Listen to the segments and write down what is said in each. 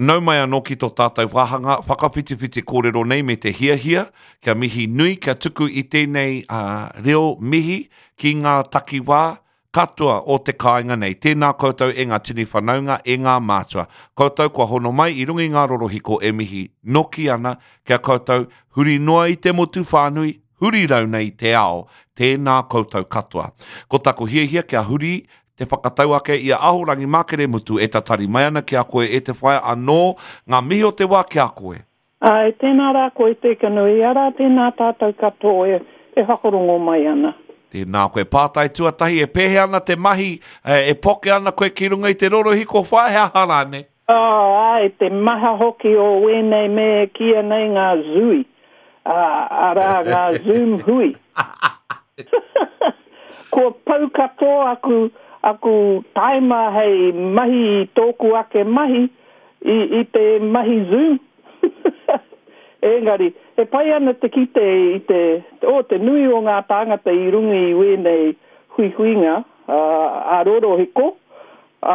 Nau mai anō ki tō tātou wāhanga whakawhitiwhiti kōrero nei me te hiahia kia mihi nui, kia tuku i tēnei reo mihi ki ngā takiwā katoa o te kāinga nei. Tēnā koutou e ngā tini whanaunga, e ngā mātua. Koutou kua hono mai i runga i ngā rorohiko e mihi noki ana ki a koutou huri noa i te motu whānui, huri rauna i te ao, tēnā koutou katoa. Ko taku hiahia kia huri te whakatau ake i a Ahorangi Makere Mutu e tatari mai ana ki a koe e te whaea anō ngā mihi o te wā ki a koe. Āe, tēnā rā koe Tekanui, arā tēnā tātou katoa e e whakarongo mai ana. Tēnā koe. Pātai tuatahi, e pēhea ana te mahi, e poke ana koe ki runga i te rorohiko whaea, he aha rānei? Oh, āe, te maha hoki o wēnei me e kīia nei ngā zui, ā, arā, ngā Zoom hui. Kua pau katoa aku, aku taima hei mahi i tōku ake mahi, i, i te mahi Zoom. Engari, e pai ana te kite i te, oh, te nui o ngā tāngata i runga i wēnei huihuinga, ā, ā-rorohiko, Ā,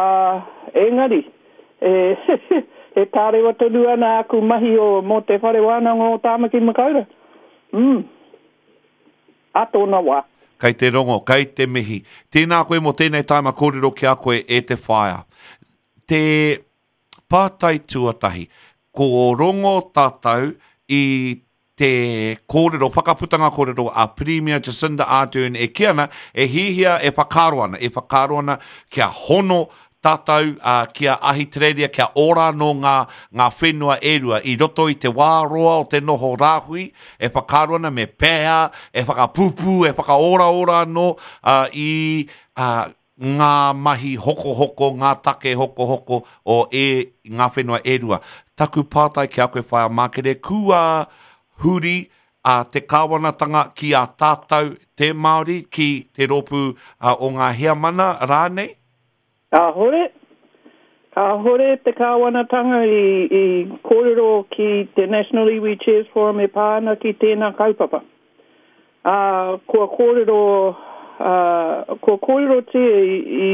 engari, e, e tārewa tonu ana aku mahi o, mō Te Whare Wānanga o Tāmaki Makaurau. Mm. Ā tōna wā. Kei te rongo, kei te mihi. Tēnā koe mō tēnei taima kōrero ki a koe e te whaea. Te pātai tuatahi, ko rongo tātou i te kōrero, whakaputanga kōrero a Pirimia Jacinda Ardern e kī ana, e hihia, e whakaaro ana, e whakaaro ana kia hono tātou uh, ki a Ahitereiria, kia ora anō ngā, ngā whenua e rua i roto i te wā roa o te noho rāhui, e whakaaro ana me pēhea, e whakapūpū, e whakaoraora anō uh, i uh, ngā mahi hokohoko, ngā take hokohoko o e, ngā whenua e rua. Taku pātai ki a koe Whaea Mākere, kua huri a te kāwanatanga ki a tātou te Māori, ki te rōpū o ngā heamana rānei? Kāhore. Kāhore te kāwanatanga i, i kōrero ki te National Iwi Chairs Forum e pā ana ki tēnā kaupapa. Ā, kua kōrero, ā, kua kōrerotia i, i,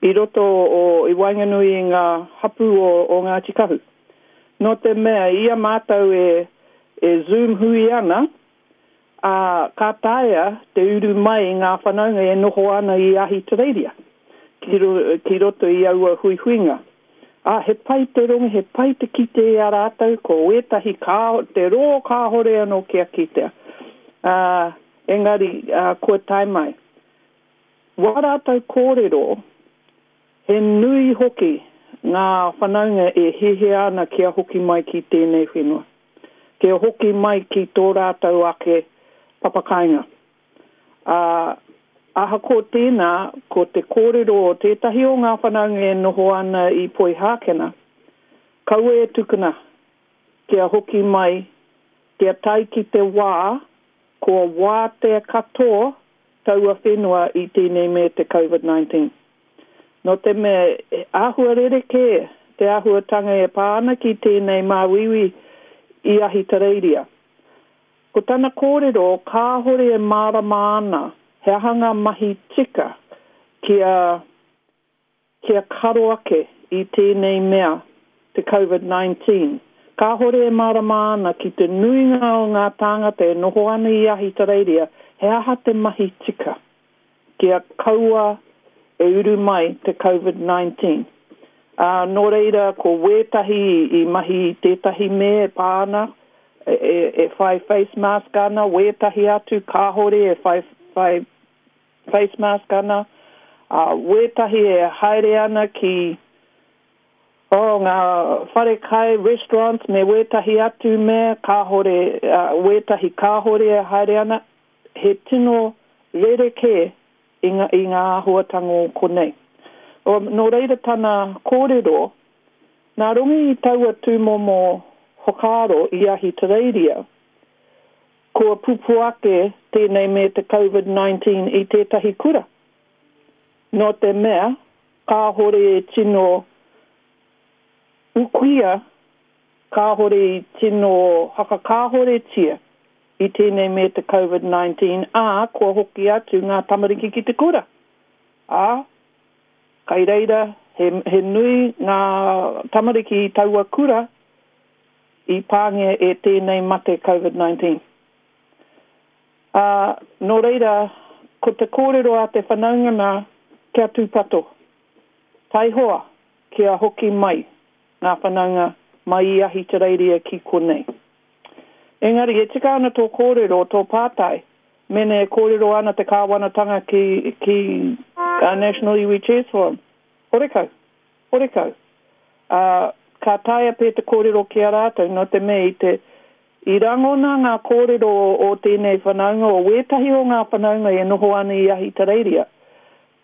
i roto o, i waenganui i ngā hapū o, o Ngāti Kahu. Nō te mea, i a mātou e, e Zoom hui ana, ā, ka taea te uru mai ngā whanaunga e noho ana i Ahitereiria ki, ki roto i aua huihuinga. Ā, he pai te rongo, he pai te kite i a rātou, ko ētahi kā, te rō kāhore anō kia kitea. Ā, engari, ā, kua tae mai. Wā rātou kōrero, he nui hoki ngā whanaunga e hiahia ana kia hoki mai ki tēnei whenua, kia hoki mai ki tō rātou ake papakāinga. Ā, ahakoa tēnā, ko te kōrero o tētahi o ngā whanaunga e noho ana i Poihākena, kaua e tukuna kia hoki mai, kia tae ki te wā kua wātea katoa taua whenua i tēnei me te Covid 19. Nō te mea, he āhua rerekē te āhuatanga e pā ana ki tēnei māuiui i Ahitereiria. Ko tana kōrero kāhore e mārama ana he aha ngā mahi tika kia kia karo ake i tēnei mea te Covid 19. Kāhore e mārama ana ki te nuinga o ngā tāngata e noho ana i Ahitereiria he aha te mahi tika. kia kaua e uru mai te Covid 19. Ā, nō reira ko wētahi i mahi i tētahi me e pā ana, e, e, e whai face mask ana, wētahi atu kāhore e whai, whai face mask ana, ā, wētahi e haere ana ki, oh, ngā whare kai, restaurants, me wētahi atu mea kāhore, ā, wētahi kāhore e haere ana. He tino rerekē i ngā, i ngā āhuatanga o konei. O, nō reira tana kōrero, nā runga i taua tūmomo whakaaro i Ahitereiria, kua pupū ake tēnei me te Covid 19 i tētahi kura. Nō te mea, kāhore e tino ukuia, kāhore i tino hakakāhoretia i tēnei me te Covid 19, ā, kua hoki atu ngā tamariki ki te kura. Ā, kai reira He, he nui ngā tamariki i taua kura i pāngia e tēnei mate Covid-19. Ā, nō reira, ko te kōrero a te whanaunga nā, kia tūpato. Taihoa kia hoki mai ngā whanaunga mai i Ahitereiria ki konei. Engari, e tika ana tō kōrero, tō pātai, mēnā e kōrero ana te kāwanatanga ki, ki National Iwi Chairs Forum. Horekau. Horekau. Ā, ka taea pea te kōrero ki a rātou, nō te mea i te, i rangona ngā kōrero o tēnei whanaunga, o wētahi o ngā whanaunga e noho ana i Ahitereiria,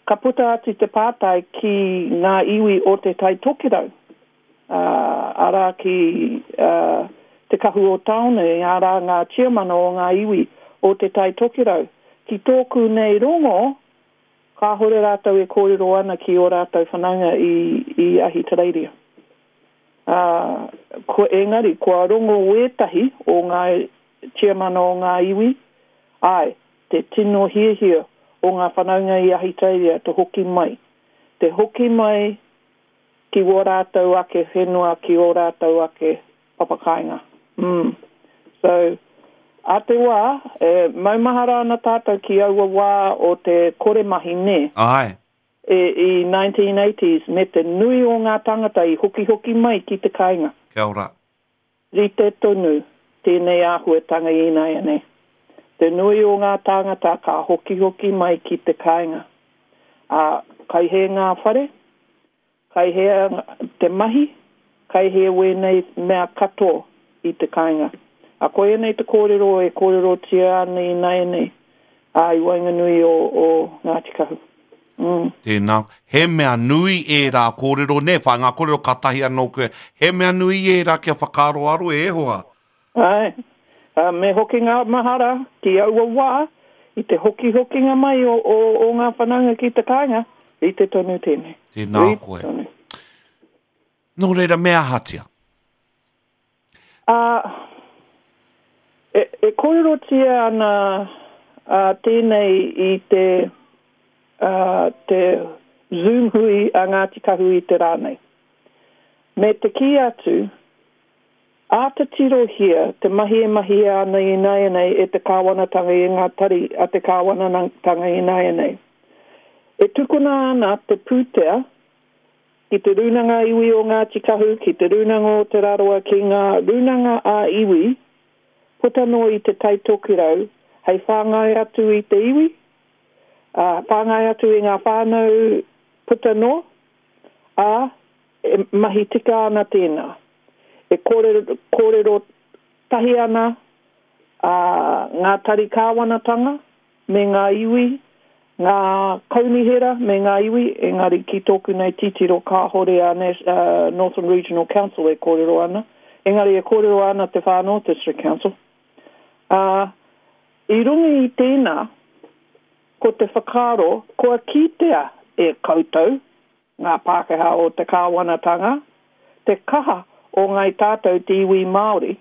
ka puta atu te pātai ki ngā iwi o Te Tai Tokerau, ā, arā ki, ā, Te Kahu o Tāone, arā ngā tiamana o ngā iwi o Te Tai Tokerau. Ki tōku nei rongo, kāhore rātou e kōrero ana ki ō rātou whanaunga i, i Ahitereiria. Ā, ko, engari, kua rongo wētahi o ngā tiamana o ngā iwi, āe, te tino hiahia o ngā whanaunga i Ahitereiria te hoki mai. Te hoki mai ki wō rātou ake whenua, ki ō rātou ake papakāinga. Mm. So, a te wā, e maumahara ana tātou ki aua wā o te kore mahi, nē? Āe. E, i 1980s, me te nui o ngā tāngata i hokihoki mai ki te kāinga. Kia ora. Rite tonu tēnei āhuatanga ināianei. Te nui o ngā tāngata ka hokihoki mai ki te kāinga. Ā, kai hē ngā whare, kai hea te mahi, kai hē wēnei mea katoa i te kāinga. Ā, koianei te kōrero e kōrerotia ana ināianei, ā, i waenganui o, o Ngāti Kahu. Mm. Tēnā. He mea nui ērā kōrero, nē, whai ngā kōrero kātahi anō koe. He mea nui ērā kia whakaaroaro e hoa. Āe. Uh, me hoki ngā mahara ki aua wā, i te hokihokinga mai o, o, o ngā whanaunga ki te kāinga, rite tonu tēnei. Tēnā rite koe. Tonu. Nō reira, me ahatia? Ā, e, e kōrerotia ana ā, tēnei i te, ā, te Zoom hui a Ngāti Kahu i te rā nei. Me te kī atu, āta tirohia te mahi e mahia ana ināianei e te kāwanatanga i ngā tari a te kāwanatanga ināianei. E tukuna ana te pūtea ki Te Rūnanga Iwi o Ngāti Kahu, ki Te Rūnanga o Te Rarawa, ki ngā rūnanga ā-iwi puta noa i Te Tai Tokerau hei whāngai atu i te iwi, ā, whāngai atu i ngā whānau puta noa, ā, e mahi tika ana tēnā. E kōrero, kōrero tahi ana ā, ngā tari kāwanatanga me ngā iwi, ngā kaunihera me ngā iwi, engari ki tōku nei titiro kāhore a Northland Regional Council e kōrero ana, engari e kōrero ana te Far North District Council. Ā, i runga i tēnā, ko te whakaaro kua kitea e koutou, ngā Pākehā o te kāwanatanga, te kaha o ngāi tātou te iwi Māori,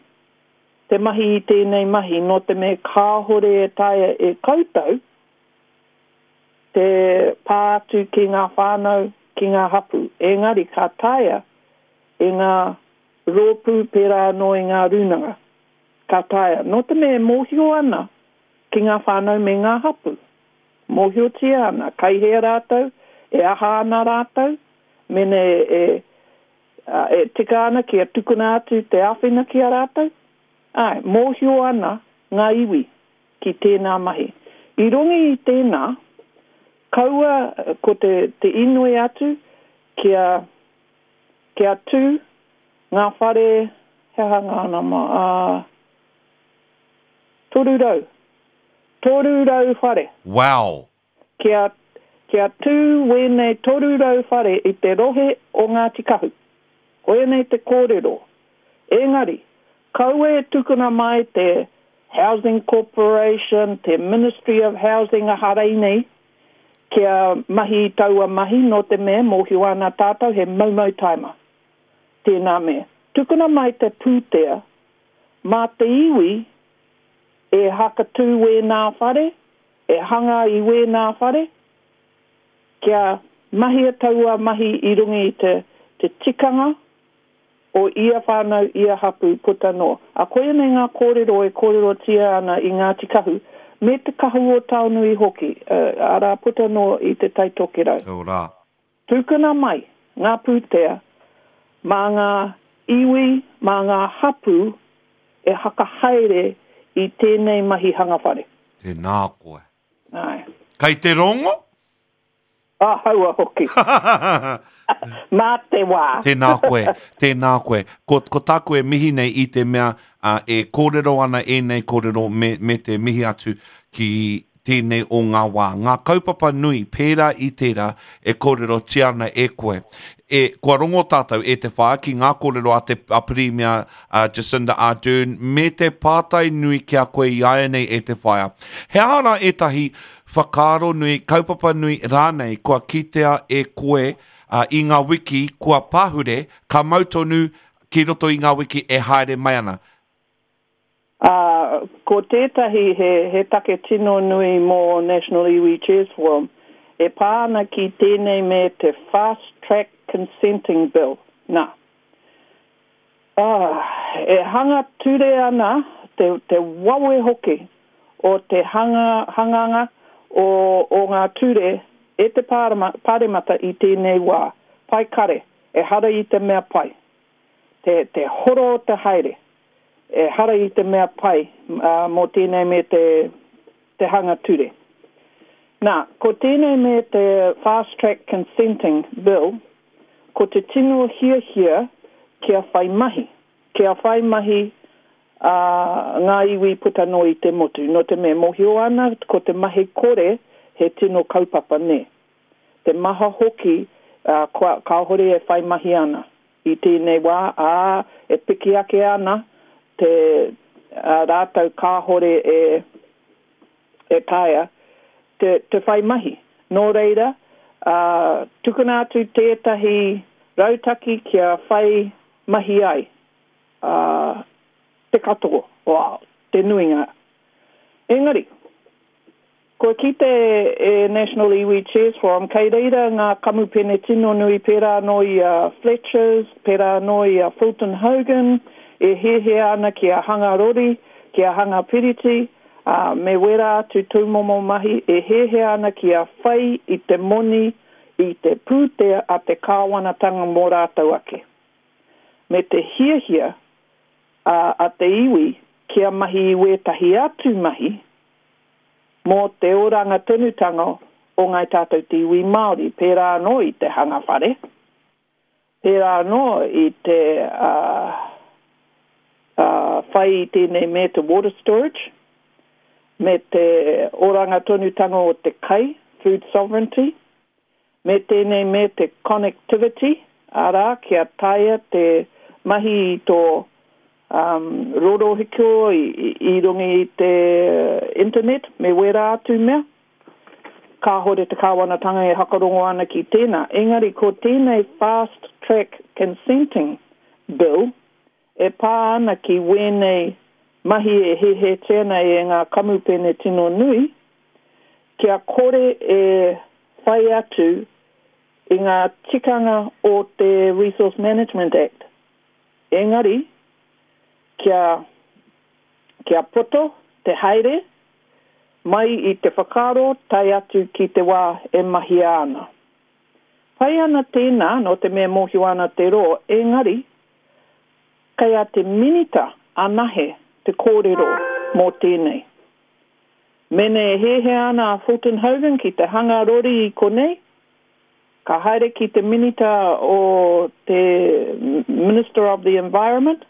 te mahi i tēnei mahi nō te mea kāhore e taea e koutou te pā atu ki ngā whānau, ki ngā hapū. Engari ka taea e ngā rōpū pērā anō i ngā rūnanga. Ka taea. Nō te mea e mōhio ana ki ngā whānau me ngā hapū. Mōhiotia ana kai hea rātou, e aha ana rātou, mene e Ā, e tika ana kia tukuna atu te āwhina ki a rātou? Āe, mōhio ana ngā iwi ki tēnā mahi. I runga i tēnā, kaua ko te, te inoi atu kia, kia tū ngā whare, he aha ngā nama, ā, 300, 300 whare. Wow! Kia, kia tū wēnei 300 whare i te rohe o Ngāti Kahu. Koianei te kōrero. Engari, kaua e tukuna mai te Housing Corporation, te Ministry of Housing aha reinei, kia mahi i taua mahi nō te mea mōhio ana tātou he moumou taima tēnā mea. Tukuna mai te pūtea mā te iwi e hakatū wēnā whare, E hanga i wēnā whare, kia Mahia taua mahi i runga i te, te tikanga o ia whānau, ia hapū, puta noa. Ā, koia nei ngā kōrero e kōrerotia ana i Ngāti Kahu, me Te Kahu o Taonui hoki, arā, puta noa i Te Tai Tokerau. Kia ora. Tukuna mai ngā pūtea mā ngā iwi, mā ngā hapū e hakahaere i tēnei mahi hanga whare. Tēnā koe. Āe. Kei te rongo? Ahaua hoki. Mā te wā. Tēnā koe, tēnā koe. Ko, ko tāku e mihi nei i te mea uh, e kōrero ana ēnei kōrero me, me te mihi atu ki tēnei o ngā wā. Ngā kaupapa nui pērā i tērā e kōrerotia ana e koe. E, kua rongo tātou e te whaea ki ngā kōrero a te a Pirimia a Jacinda Ardern me te pātai nui ki a koe i āianei e te whaea. He aha rā ētahi whakaaro nui, kaupapa nui rānei kua kitea e koe i ngā wiki kua pahure, ka mau tonu ki roto i ngā wiki e haere mai ana? Ā, ko tētahi he, he take tino nui mō National Iwi Chairs Forum, e pā ana ki tēnei me te Fast Track Consenting Bill, nā. Ā, e hanga ture ana te, te wawe hoki o te hanga, hanganga o, o ngā ture e te pārema, Pāremata i tēnei wā. Pai kare, ehara i te mea pai. Te, te horo o te haere, ehara i te mea pai, ā, mō tēnei me te, te hanga ture. Nā, ko tēnei me te Fast Track Consenting Bill, ko te tino hiahia kia whai mahi, kia whai mahi a ngā iwi puta noa i te motu, nō te mea mōhio ana ko te mahi kore he tino kaupapa nē. Te maha hoki kua kāore e whai mahi ana i tēnei wā, ā, e piki ake ana te rātou kāore e e taea te, te whai mahi. Nō reira, ā, tukuna atu tētahi rautaki kia whai mahi ai, ā, te katoa, o, te nuinga. Engari, kua kite e National Iwi Chairs Forum kei reira ngā kamupene tino nui pērā anō i a Fletchers, pērā anō i a Fulton Hogan, e hiahia ana kia hanga rori, kia hanga piriti, ā, me wera atu tūmomo mahi e hiahia ana kia whai i te moni i te pūtea a te kāwanatanga mō rātou ake, me te hiahia a a te iwi kia mahi i wētahi atu mahi mō te oranga tonutanga o ngāi tātou te iwi Māori, pērā anō i te hanga whare. Pērā anō i te whai i tēnei me te water storage, me te oranga tonutanga o te kai, food sovereignty, me tēnei me te connectivity, arā, kia taea te mahi i tō rorohiko i runga i te internet me wērā atu mea. Kāhore te kāwanatanga e hakarongo ana ki tēnā, engari ko tēnei Fast Track Consenting Bill e pā ana ki wēnei mahi e hehetia nei e ngā kamupene tino nui, kia kore e whai atu i ngā tikanga o te Resource Management Act, engari kia kia poto te haere mai i te whakaaro tae atu ki te wā e mahia ana. Pai ana tēnā nō te mea mōhio ana te rō, engari kei a te Minita anahe te kōrero mō tēnei. Mēnā e hiahia ana a Fulton Hogan ki te hanga rori i konei, ka haere ki te Minita o te Minister of the Environment,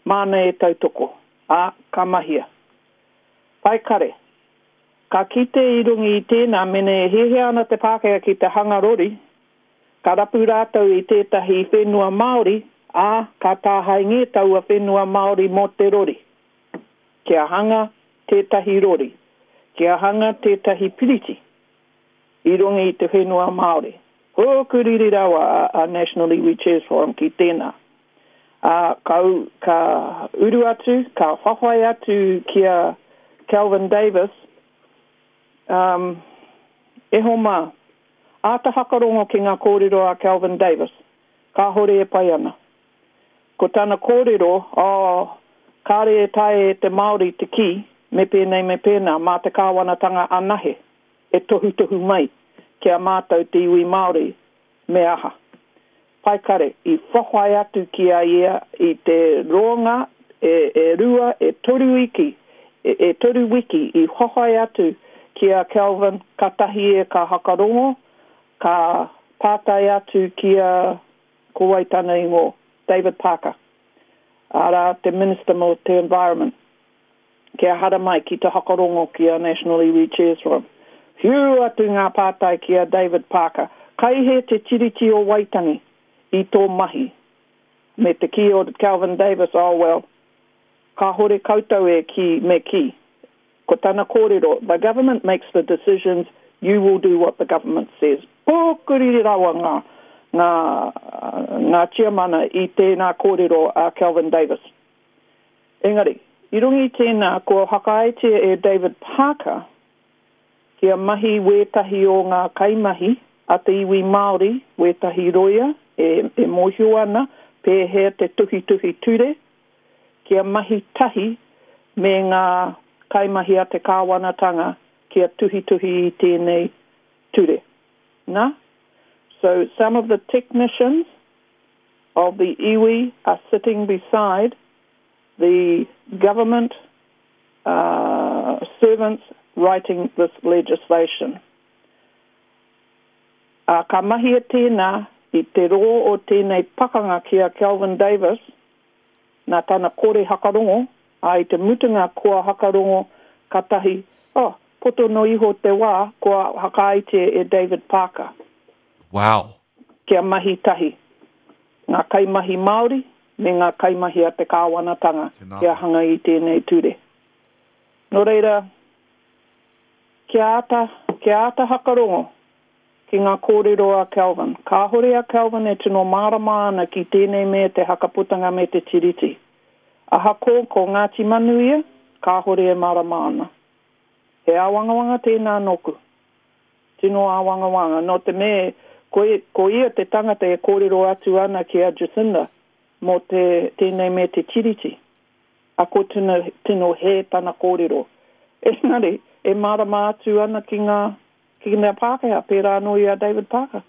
māna e tautoko, ā, ka mahia. Pai kare. Ka kite i runga i tēnā mena e hiahia ana te Pākehā ki te hanga rori, ka rapu rātou i tētahi whenua Māori, ā, ka tāhaengē taua whenua Māori mō te rori. Kia hanga tētahi rori, kia hanga tētahi piriti i runga i te whenua Māori. Hōkuriri rawa a National Iwi Chairs Forum ki tēnā. Ā, ka, ka uru atu, ka whawhai atu ki a Kelvin Davis, um, e hoa mā, Āta hakarongo ki ngā kōrero a Kelvin Davis, kāhore e pai ana. Ko tana kōrero, oh, kāre e taea e te Māori te kī, me pēnei me pēnā, mā te kāwanatanga anahe e tohutohu mai ki a mātou te iwi Māori me aha. Paekare, i whawhai atu ki a ia i te roanga e, e rua, e toru iki, e, e toru wiki i whawhai atu ki a Kelvin katahi e ka hakarongo, ka pātai atu ki a, ko wai tana ingoa, David Parker, arā, te Minister mō te Environment. Kia haramai ki te hakarongo ki a National Iwi Chairs Forum. Whiu atu ngā pātai ki a David Parker, Kai hē te Tiriti o Waitangi i tō mahi? Me te kī o Kelvin Davis, Oh well, kāhore koutou e kī, me kī. Ko tana kōrero, The government makes the decisions, you will do what the government says. Pōkuriri rawa ngā, ngā, ngā tiamana i tēnā kōrero a Kelvin Davis. Engari, i runga i tēnā, kua whakaaetia e David Parker kia mahi wētahi o ngā kaimahi a te iwi Māori, wētahi roia e, e mōhio ana pēhea te tuhituhi ture, kia mahi tahi me ngā kaimahi a te kāwanatanga kia tuhituhi i tēnei ture. Na? So, some of the technicians of the iwi are sitting beside the government uh, servants writing this legislation. Uh, ka mahia tēnā i te rō o tēnei pakanga ki a Kelvin Davis, nā tana kore hakarongo, ā, i te mutunga kua hakarongo katahi, oh, poto no iho te wā kua whakaaetia e David Parker. Wow! Kia mahi tahi ngā kaimahi Māori me ngā kaimahi a te kāwanatanga kia hanga i tēnei ture. Nō reira, kia āta, kia āta hakarongo ki ngā kōrero a Kelvin. Kāhore a Kelvin e tino mārama ana ki tēnei me te hakaputanga me te Tiriti. Ahakoa ko Ngāti Manu ia, kāhore e mārama ana. He āwangawanga tēnā nōku. Tino āwangawanga, nō te me ko, ko ia te tangata e kōrero atu ana ki a Jacinda mō te, tēnei me te Tiriti. A ko tino, tino hē tana kōrero. Engari, e mārama atu ana ki ngā, ki ngā Pākehā, pērā anō i a David Parker.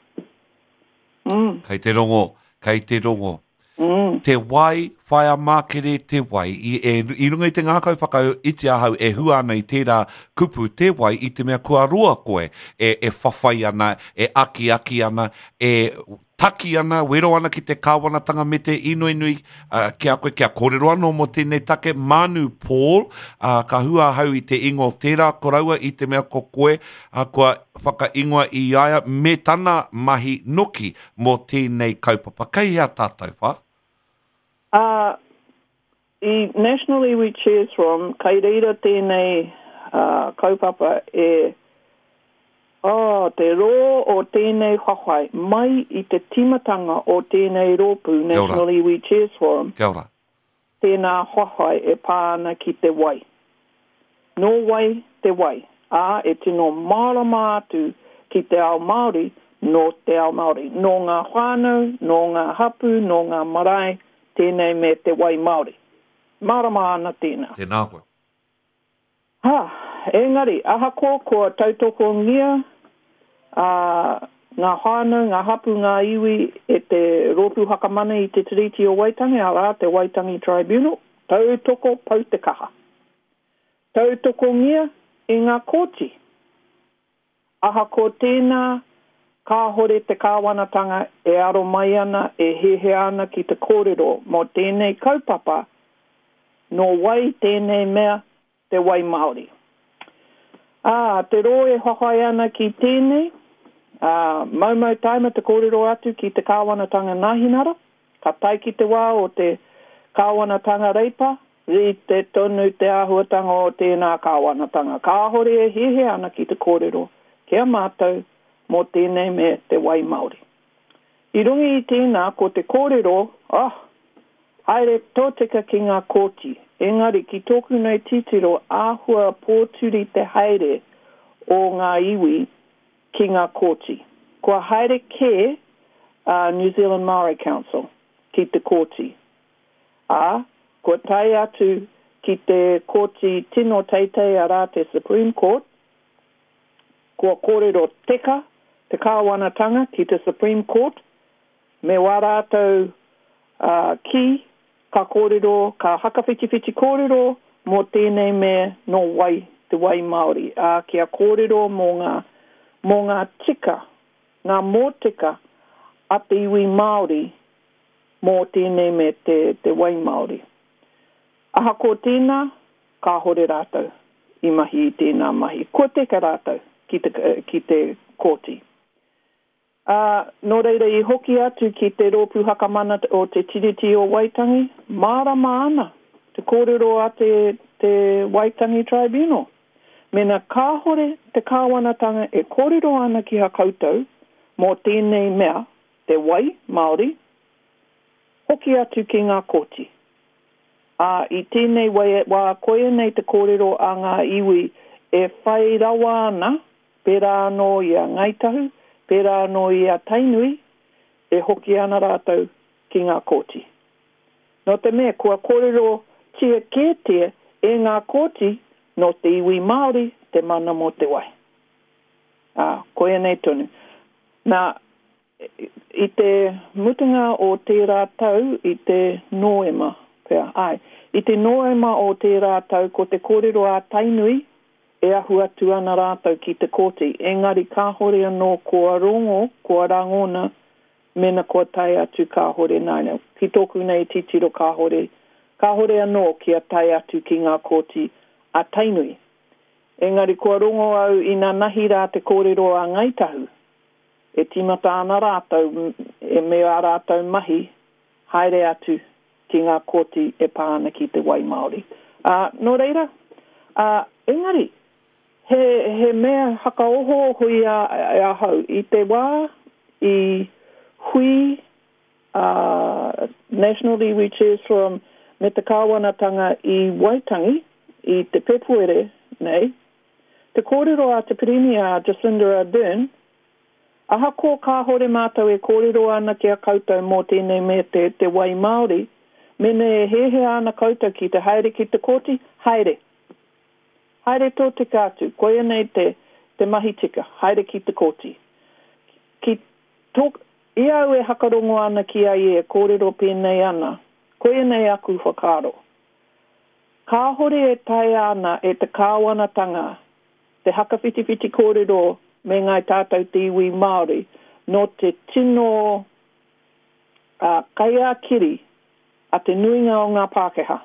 Mm. Kei te rongo, kei te rongo. Mm. Te wai, whaea mākere te wai. I, e, I runga i te ngākau whakaiti ahau e hua ana i tērā kupu te wai i te mea kua roa koe e, e whawhai ana, e akiaki ana, e taki ana, wero ana ki te kāwanatanga me te inoi nui uh, ki a koe kia kōrero anō mō tēnei take Manu Paul, uh, ka hua ahau i te ingoa o tērā koroua i te mea ko koe uh, kua whakaingoa i a ia me tana mahi noki mō tēnei kaupapa. Kei hea tātou, wha? Ā, i National Iwi Chairs Forum, kei reira tēnei kaupapa e, oh, te rō o tēnei whawhai, mai i te tīmatanga o tēnei rōpū National Iwi Chairs Forum, Kia ora. Tēnā whawhai e pā ana ki te wai. Nō wai te wai, ā, e tino mārama atu ki te ao Māori, nō te ao Māori, nō ngā whānau, nō ngā hapū, nō ngā marae, tēnei me te wai Māori. Mārama ana tēnā. Tēnā koe. Ha, engari, ahakoa kua tautokongia a ngā whānau, ngā hapū, ngā iwi e te Rōpū Whakamana i te Tiriti o Waitangi, arā, te Waitangi Tribunal, tautoko pau te kaha. Tautokongia e ngā kōti. Ahakoa tēnā, kāhore te kāwanatanga e aro mai ana, e hiahia ana ki te kōrero mō tēnei kaupapa, nō wai tēnei mea te wai Māori. Ā, te rō e whawhai ana ki tēnei, ā, maumau taima te kōrero atu ki te kāwanatanga Nāhinara, ka tae ki te wā o te kāwanatanga Reipa, Rite tonu te āhuatanga o tēnā kāwanatanga kāhore e hiahia ana ki te kōrero ki a mātou mō tēnei me te wai Māori. I runga i tēnā ko te kōrero, oh, haere tōtika ki ngā kōti, engari ki tōku nei titiro āhua pōturi te haere o ngā iwi ki ngā kōti. Kua haere kē a New Zealand Māori Council ki te kōti, ā, kua tae atu ki te kōti tino teitei arā te Supreme Court, kua kōrero teka te kāwanatanga ki te Supreme Court me wā rātou kī ka kōrero, ka hakawhitiwhiti kōrero mō tēnei mea nō wai te wai Māori, ā, kia kōrero mō ngā, mō ngā tika, ngā mōtika a te iwi Māori mō tēnei mea te, te wai Māori. Ahakoa tēnā, kāhore rātou i mahi i tēnā mahi. Kua teka rātou ki te, ki te kōti. Ā, nō reira i hoki atu ki te Rōpū Hakamana o Te Tiriti o Waitangi, mārama ana te kōrero a te, te Waitangi Tribunal. Mēnā kāhore te kāwanatanga e kōrero ana ki a koutou mō tēnei mea, te wai Māori, hoki atu ki ngā kōti. Ā, i tēnei wā koia nei te kōrero a ngā iwi e whai rawa ana, pērā anō i a Ngāi Tahu, pērā anō i a Tainui, e hoki ana rātou ki ngā kōti. Nō te mea kua kōrerotia kētia e ngā kōti nō te iwi Māori te mana mō te wai. Ā, koia nei tonu. Nā, I te mutunga o tērā tau, i te Nōema pea, āe, i te Nōema o tērā tau ko te kōrero a Tainui e ahu atu ana rātou ki te kōti, engari kāhore anō kua rongo, kua rangona mena kua tae atu kāhore nāianei. Ki tōku nei titiro kāhore, kāhore anō kia tae atu ki ngā kōti a Tainui. Engari kua rongo au inanahi rā te kōrero a Ngāi Tahu, E tīmata ana rātou e me ā rātou mahi haere atu ki ngā kōti e pā ana ki te wai Māori. Ā, nō reira, ā, engari, he, he mea hakaohooho i a, ahau i te wā i hui a National Iwi Chairs Forum me te kāwanatanga i Waitangi i te Pepuere nei, Te kōrero a te Pirimia a Jacinda Ardern, Ahakoa kāhore mātou e kōrero ana ki a koutou mō tēnei mea te te wai Māori, mēnā e hiahia ana koutou ki te haere ki te kōti, haere. Haere tōtika atu, koia nei te te mahi tika, haere ki te kōti. Ki tō, i a au e hakarongo ana ki a ia e kōrero pēnei ana, koia nei aku whakaaro. Kāhore e taea ana e te kāwanatanga te hakawhitiwhiti kōrero me ngāi tātou te iwi Māori nō te tino kai-ā-kiri a te nuinga o ngā Pākehā.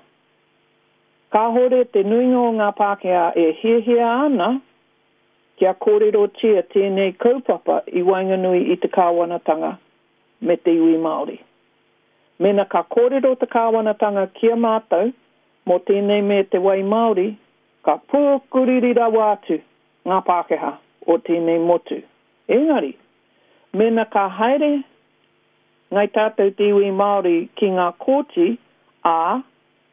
Kāhore te nuinga o ngā Pākehā e hiahia ana kia kōrerotia tēnei kaupapa i waenganui i te kāwanatanga me te iwi Māori. Mēnā ka kōrero te kāwanatanga ki a mātou mō tēnei me te wai Māori, ka pūkuriri rawa atu ngā Pākehā o tēnei motu. Engari, mēnā ka haere ngai tātou te iwi Māori ki ngā kōti, ā,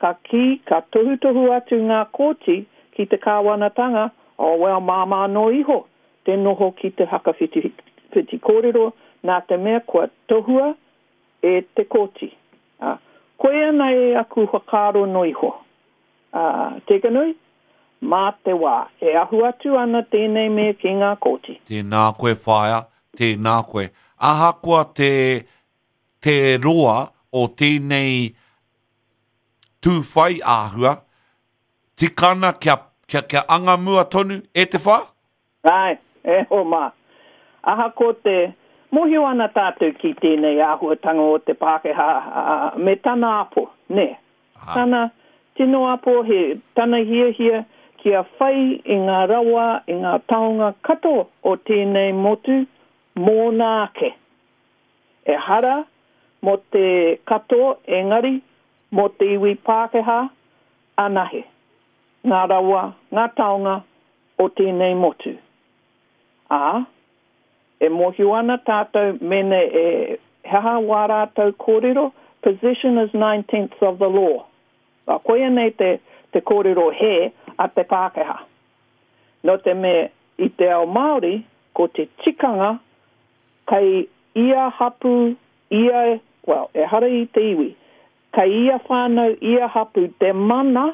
ka kī, ka tohutohu atu ngā kōti ki te kāwanatanga, oh well, māmā noa iho te noho ki te hakawhitiwhiti kōrero nā te mea kua tohua e te kōti. Ā, koia nei aku whakaaro noa iho. Ā, Tekanui, mā te wā, e ahu atu ana tēnei mea ki ngā kōti. Tēnā koe whaea, tēnā koe. Ahakoa te, te roa o tēnei tū whai āhua, tika ana kia, kia, kia anga mua tonu e te wha? Āe, e hoa mā. Ahakoa te mōhio ana tātou ki tēnei āhuatanga o te Pākehā me tana apo, nē? Tana tino apo, he tana hiahia kia whai i ngā rawa, i ngā taonga katoa o tēnei motu mōna ake. Ehara mō te katoa engari mō te iwi Pākehā anahe. Ngā rawa, ngā taonga o tēnei motu. Ā, e mōhio ana tātou mēnā e he aha wā rātou kōrero, possession is nine-tenths of the law. Ā, koia nei te, te kōrero hē a te Pākehā. Nō te mea i te ao Māori, ko te tikanga. Kei ia hapū, ia, well, ehara i te iwi, kei ia whānau, ia hapū te mana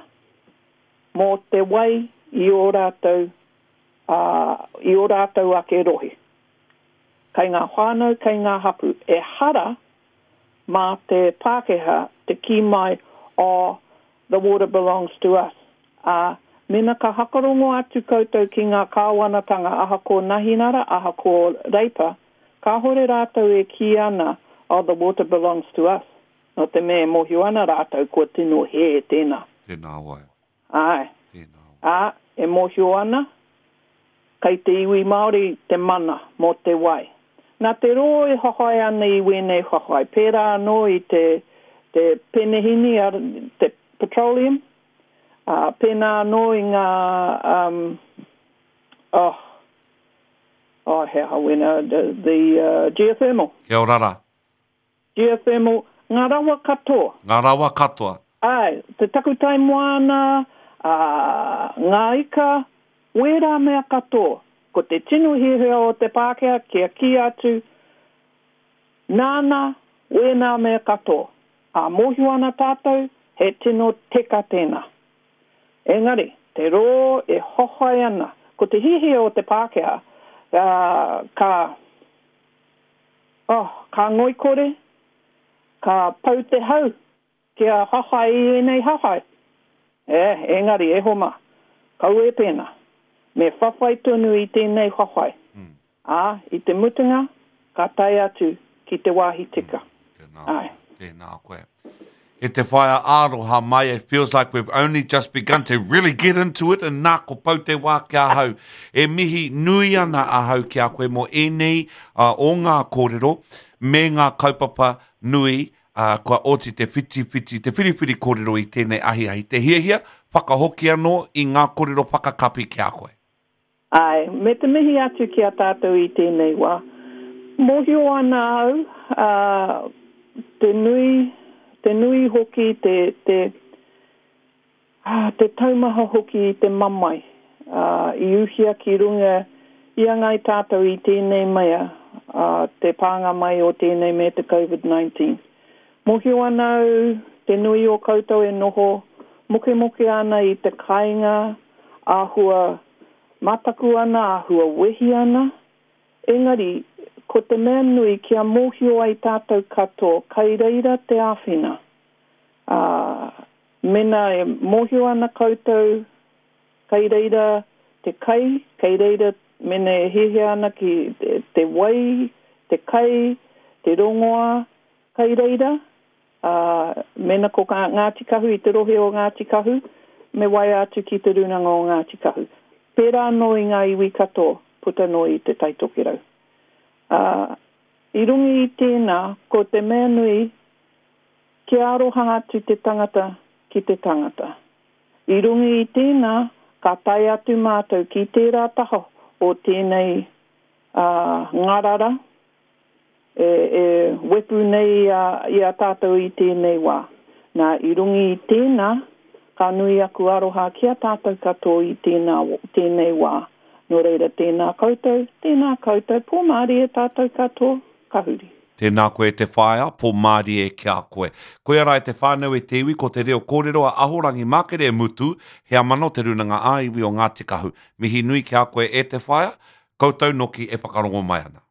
mō te wai i ō rātou, ā, i ō rātou ake rohe. Kei ngā whānau, kei ngā hapū. Ehara mā te Pākehā te kī mai, oh, the water belongs to us, ā, mena ka hakarongo atu koutou ki ngā kāwanatanga ahakoa Nahinara, ahakoa Reipa, kāhore rātou e kī ana, oh, the water belongs to us, nō te mea e mōhio ana rātou kua tino hē tēnā. Tēnā wai. Āe. Tēnā wai. Ā, e mōhio ana, kei te iwi Māori te mana mō te wai. Nā te rō e whawhai ana i wēnei whawhai, pērā anō i te, te penehīni, te petroleum, ā, pēnā anō i ngā, um, oh, oh, he aha wēnā, the, the uh, geothermal. Kia ora rā. Geothermal, ngā rawa katoa. Ngā rawa katoa. Āe, te takutai moana, ā, ngā ika, wērā mea katoa. Ko te tino hiahia o te Pākehā kia kī atu, nāna wēnā mea katoa. Ā, mōhio ana tātou, he tino teka tēnā. Engari, te rō e hohai ana, ko te hiahia o te Pākehā, ā, ka. Oh, ka ngoikore, ka pau te hau kia hahai i ēnei hahai. Eh, engari, e homa, kaua e pēnā. Me whawhai tonu i tēnei whawhai. Ā, i te mutunga, ka tae atu ki te wāhi tika. Tēnā koe, tēnā koe. E te whaea aroha mai, it feels like we've only just begun to really get into it and nā ko pau te wā ki ahau. E mihi nui ana ahau ki a koe mō ēnei uh, o ngā kōrero me ngā kaupapa nui uh, kua oti te whitiwhiti, te whiriwhiri kōrero i tēnei ahiahi. Te hiahia, whakahoki anō i ngā kōrero whakakapi ki a koe. Āe, me te mihi atu ki a tātou i tēnei wā. Mōhio ana au, ā, te nui, te nui hoki te, te, ā, te taumaha hoki i te mamae, ā, i uhia ki runga i a ngāi tātou i tēnei mea, ā, te pānga mai o tēnei mea te Covid 19. Mōhio ana au, te nui o koutou e noho mokemoke ana i te kāinga, āhua mataku ana, āhua wehi ana, engari, ko te mea nui kia mōhio ai tātou katoa kai reira te āwhina. Ā, mena e mōhio ana koutou kai reira te kai, kei reira mena e hiahia ana ki te wai, te kai, te rongoā, kai reira, Ā, mēnā ko Ngāti Kahu i te rohe o Ngāti Kahu, me waea atu ki Te Rūnanga o Ngāti Kahu. Pērā anō i ngā iwi katoa puta noa i Te Tai Tokerau. Ā, i runga i tēnā, ko te mea nui, kia aroha atu te tangata ki te tangata. I runga i tēnā, ka tae atu mātou ki tērā taha o tēnei, ā, ngarara, e, e wepu nei i a, i a tātou i tēnei wā. Nā, i runga i tēnā, ka nui aku aroha ki a tātou katoa i tēnā, tēnei wā. Nō reira, tēnā koutou, tēnā koutou, pō mārie tātou katoa, ka huri. Tēnā koe e te whaea, pō mārie ki a koe. Koia rā e te whānau e te iwi, ko te reo kōrero a Ahorangi Mākere Mutu, heamana o Te Rūnanga ā-Iwi o Ngāti Kahu. Mihi nui ki a koe e te whaea, koutou noki e whakarongo mai ana.